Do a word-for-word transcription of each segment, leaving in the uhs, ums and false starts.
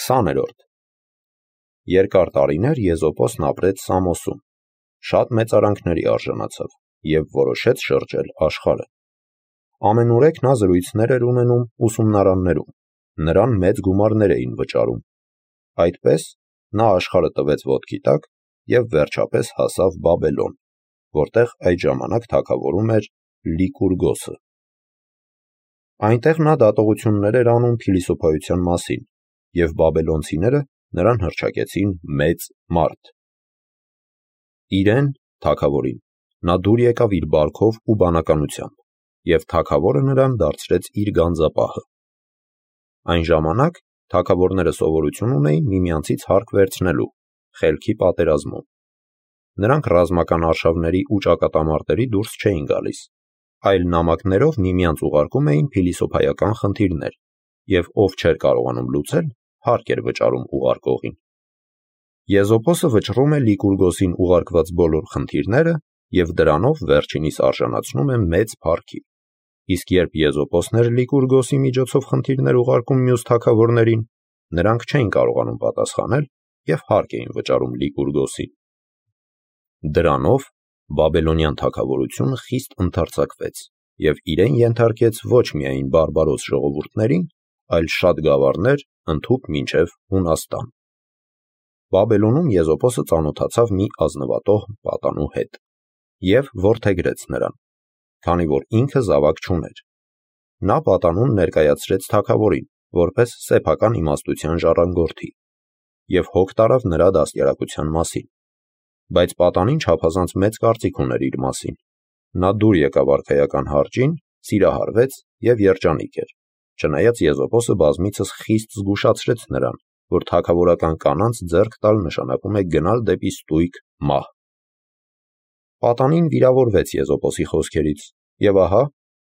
Քսաներորդ Երկար տարիներ Եզոպոսն ապրեց Սամոսում, շատ մեծարանքների արժանացավ և որոշեց շրջել աշխարհը։ Ամենուրեք նա զրույցներ էր ունենում ուսումնարաններում, նրան մեծ գումարներ էին վճարում։ Այդպես նա աշխարհը տվեց ոտքի տակ և վերջապես հասավ Բաբելոն, որտեղ այդ ժամանակ թագավորում էր Լիկուրգոսը։ Այնտեղ նա դատողություններ էր անում փիլիսոփայության մասին, և բաբելոնցիները նրան հռչակեցին մեծ մարդ։ Իրեն, թագավորին, նա դուր եկավ իր բարքով ու բանականությամբ, և թագավորը նրան դարձրեց իր գանձապահը։ Այն ժամանակ թագավորները սովորություն ունեին միմյանցից հարկ վերցնելու, խելքի պատերազմում։ Նրանք ռազմական արշավների ու ճակատամարտերի դուրս չէին գալիս, այլ նամակներով միմյանց ուղարկում էին փիլիսոփայական խնդիրներ, և ով չէր կարողանում լուծել, հարկ էր վճարում ուղարկողին։ Եզոպոսը վճռում է Լիկուրգոսին ուղարկված բոլոր խնդիրները և դրանով վերջինիս արժանացնում է մեծ փառքի, իսկ երբ Եզոպոսն էր Լիկուրգոսի միջոցով խնդիրներ ուղարկում մյուս թագավորներին, նրանք չէին կարողանում պատասխանել և հարկ էին վճարում Լիկուրգոսին։ Դրանով բաբելոնյան թագավորությունը խիստ ընդարձակվեց և իրեն ենթարկեց ոչ միայն բարբարոս ժողովուրդներին, այլ շատ գավառներ ընդհուպ մինչև Հունաստան։ Բաբելոնում Եզոպոսը ծանոթացավ մի ազնվատոհ պատանու հետ և որդեգրեց նրան, քանի որ ինքը զավակ չուներ։ Նա պատանուն ներկայացրեց թագավորին, որպես սեփական իմաստության ժառանգորդի, և հոգ տարավ նրա դաստիարակության մասին, բայց պատանին չափազանց մեծ կարծիք ուներ իր մասին։ Նա դուր եկավ արքայական հարճին, սիրահարվեց և երջանիկ էր, չնայած Եզոպոսը բազմիցս խիստ զգուշացրեց նրան, որ թագավորական կանանց ձեռք տալ նշանակում է գնալ դեպի ստույգ մահ։ Պատանին վիրավորվեց Եզոպոսի խոսքերից և ահա,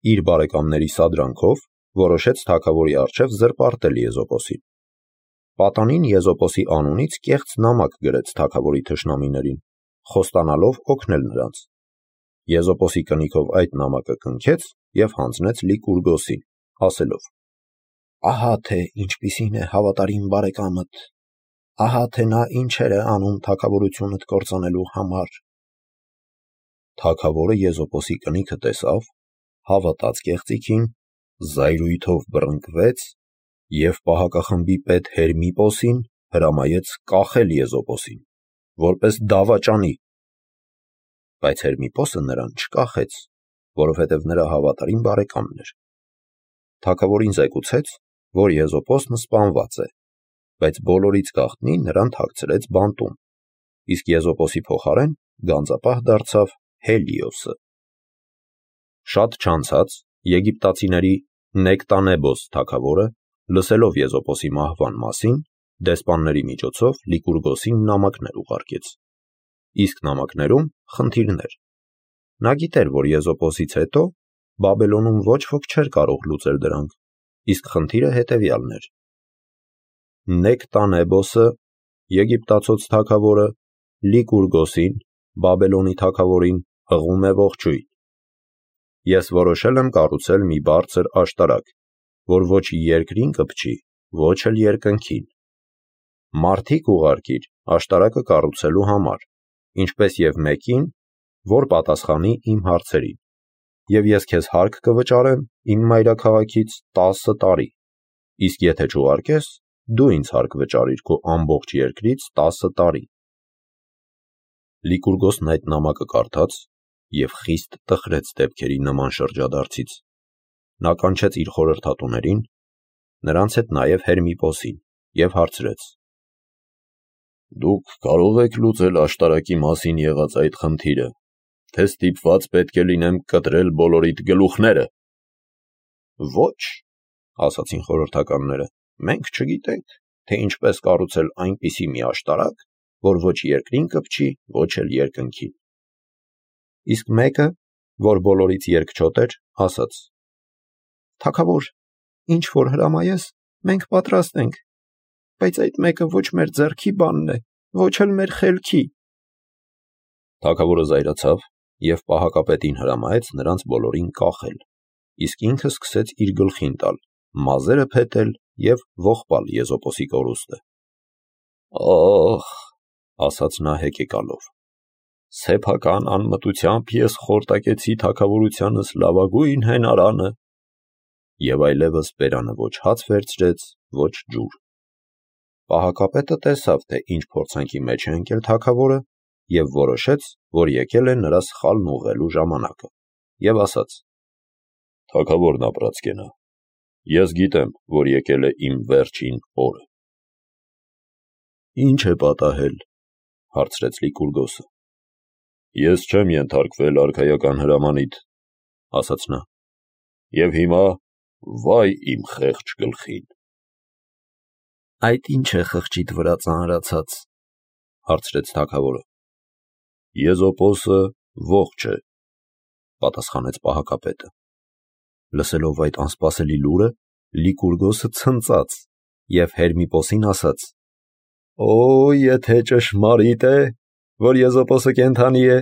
իր բարեկամների սադրանքով, որոշեց թագավորի առջև զրպարտել Եզոպոսին։ Պատանին Եզոպոսի անունից կեղծ նամակ գրեց թագավորի թշնամիներին, խոստանալով օգնել նրանց։ Եզոպոսի կնիքով այդ նամակը կնքեց և հանձնեց Լիկուրգոսին, ասելով. «Ահա թե ինչպիսին է հավատարիմ բարեկամդ, ահա թե նա ինչեր է անում թագավորությունդ կործանելու համար»։ Թագավորը Եզոպոսի կնիքը տեսավ, հավատաց կեղծիքին, զայրույթով բռնկվեց և պահակախմբի պետ Հերմիպոսին հրամայեց կախել Եզոպոսին, որպես դավաճանի։ Բայց Հերմիպոսը նրան չկախեց, որովհետև նրա հավատարիմ բարեկամն էր։ Թագավորին զեկուցեց, որ Եզոպոսն սպանված է, բայց բոլորից գաղտնի նրան թաքցրեց բանտում, իսկ Եզոպոսի փոխարեն գանձապահ դարձավ Հելիոսը։ Շատ չանցած եգիպտացիների Նեկտանեբոս թագավորը, լսելով Եզոպոսի մահվան մասին, դեսպանների միջոցով Լիկուրգոսին նամակներ ուղարկեց, իսկ նամակներում խնդիրներ։ Նա գիտեր, որ Եզոպոսից հետո Բաբելոնում ոչ ոք չէր կարող լուծել դրանք, իսկ խնդիրը հետևյալն էր. Նեկտանեբոսը, եգիպտացոց թագավորը, Լիկուրգոսին, Բաբելոնի թագավորին, հղում է ողջույն։ Ես որոշել եմ կառուցել մի բարձր աշտարակ, որ ոչ երկրին կպչի, ոչ էլ երկնքին։ Մարդիկ ուղարկիր աշտարակը կառուցելու համար, ինչպես և մեկին, որ պատասխանի իմ հարցերին, և ես քեզ հարկ կվճարեմ իմ մայրաքաղաքից տասը տարի, իսկ եթե չուղարկես, դու ինձ հարկ վճարիր քո ամբողջ երկրից տասը տարի։ Լիկուրգոսն այդ նամակը կարդաց և խիստ տխրեց դեպքերի նման շրջադարձից։ Նա կանչեց իր խորհրդատուներին, նրանց հետ նաև Հերմիպոսին, և հարցրեց. «Դուք կարո՞ղ եք լուծել աշտարակի մասին եղած այդ խնդիրը, թե ստիպված պետք է լինեմ կտրել բոլորիդ գլուխները»։ «Ոչ», ասացին խորհրդականները, «մենք չգիտենք, թե ինչպես կառուցել այնպիսի մի աշտարակ, որ ոչ երկրին կպչի, ոչ էլ երկնքին»։ Իսկ մեկը, որ բոլորից երկչոտ էր, ասաց. «Թագավոր, ինչ որ հրամայես, մենք պատրաստ ենք, բայց այդ մեկը ոչ մեր ձեռքի բանն է, ոչ էլ մեր խելքի»։ Թագավորը զայրացավ և պահակապետին հրամայեց նրանց բոլորին կախել, իսկ ինքը սկսեց իր գլխին տալ, մազերը փետել և ողբալ Եզոպոսի կորուստը։ «Ախ», ասաց նա հեկեկալով, «սեփական անմտությամբ ես խորտակեցի թագավորությանս լավագույն հենարանը», և այլևս բերանը ոչ հաց վերցրեց, ոչ ջուր։ Պահակապետը տեսավ, թե ինչ փորձանքի մեջ է ընկել թագավորը, և որոշեց, որ եկել է նրա սխալն ուղղելու ժամանակը, և ասաց. «Թագավորն ապրած կենա, ես գիտեմ, որ եկել է իմ վերջին օրը»։ «Ինչ է պատահել», հարցրեց Լիկուրգոսը։ «Ես չեմ ենթարկվել արքայական հրամանիդ», ասաց նա, «և հիմա վայ իմ խեղճ գլխին»։ «Այդ ի՞նչ է խղճիդ վրա ծանրացած», հարցրեց թագավորը։ «Եզոպոսը ողջ է», պատասխանեց պահակապետը։ Լսելով այդ անսպասելի լուրը, Լիկուրգոսը ցնծաց և Հերմիպոսին ասաց. «Օ, եթե ճշմարիտ է, որ Եզոպոսը կենդանի է,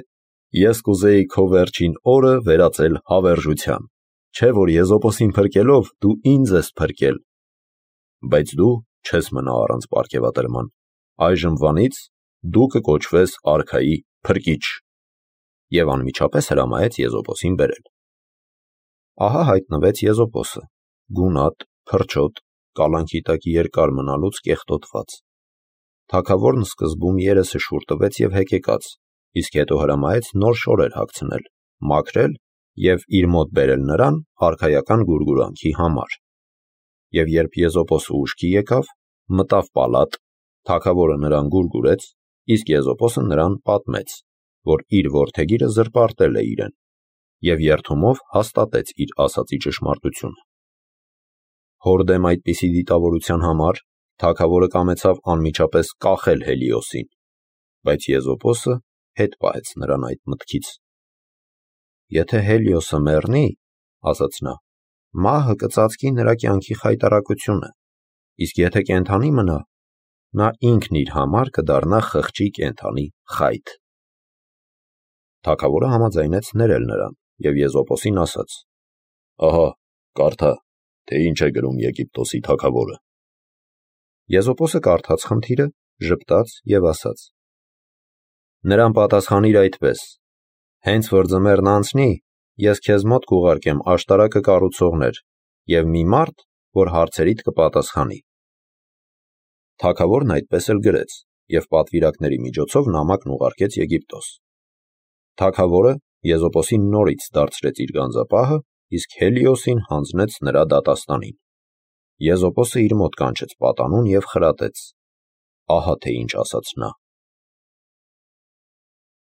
ես կուզեի քո վերջին օրը վերածել հավերժության, չէ՞ որ Եզոպոսին փրկելով դու ինձ ես փրկել։ Բայց դու չես մնա առանց պարգևատրման, այժմվանից դու կկոչվես արքայի փրկիչ»։ Եվ անմիջապես հրամայեց Եզոպոսին բերել։ Ահա հայտնվեց Եզոպոսը, գունատ, փրչոտ, կալանքի տակ երկար մնալուց կեղտոտված։ Թագավորն սկզբում երեսը շուռ տվեց և հեկեկաց, իսկ հետո հրամայեց նոր շորեր հագցնել, մաքրել և իր մոտ բերել նրան արքայական գուրգուրանքի համար։ Եվ երբ Եզոպոսը ուշքի եկավ, մտավ պալատ, թագավորը նրան գուրգուրեց, իսկ Եզոպոսը նրան պատմեց, որ իր որդեգիրը զրպարտել է իրեն, և երդումով հաստատեց իր ասածի ճշմարտությունը։ Հոր դեմ այդպիսի դիտավորության համար թագավորը կամեցավ անմիջապես կախել Հելիոսին, բայց Եզոպոսը հետ պահեց նրան այդ մտքից։ «Եթե Հելիոսը մեռնի, — ասաց նա, — մահը կծածկի նրա կյանքի խայտառակությունը, իսկ եթե կենդանի մնա, նա ինքն իր համար կդառնա խղճի կենդանի խայտ»։ Թագավորը համաձայնեց ներել նրան և Եզոպոսին ասաց. «Ահա, կարդա, թե ինչ է գրում Եգիպտոսի թագավորը»։ Եզոպոսը կարդաց խնդիրը, ժպտաց և ասաց. «Նրան պատասխանիր այդպես. հենց որ ձմեռն անցնի, ես քեզ մոտ կուղարկեմ աշտարակը կառուցողներ և մի մարդ, որ հարցերիդ կպատասխանի»։ Թագավորն այդպես էլ գրեց և պատվիրակների միջոցով նամակն ուղարկեց Եգիպտոս։ Թագավորը Եզոպոսին նորից դարձրեց իր գանձապահը, իսկ Հելիոսին հանձնեց նրա դատաստանին։ Եզոպոսը իր մոտ կանչեց պատանուն և խրատեց. ահա թե ինչ ասաց նա.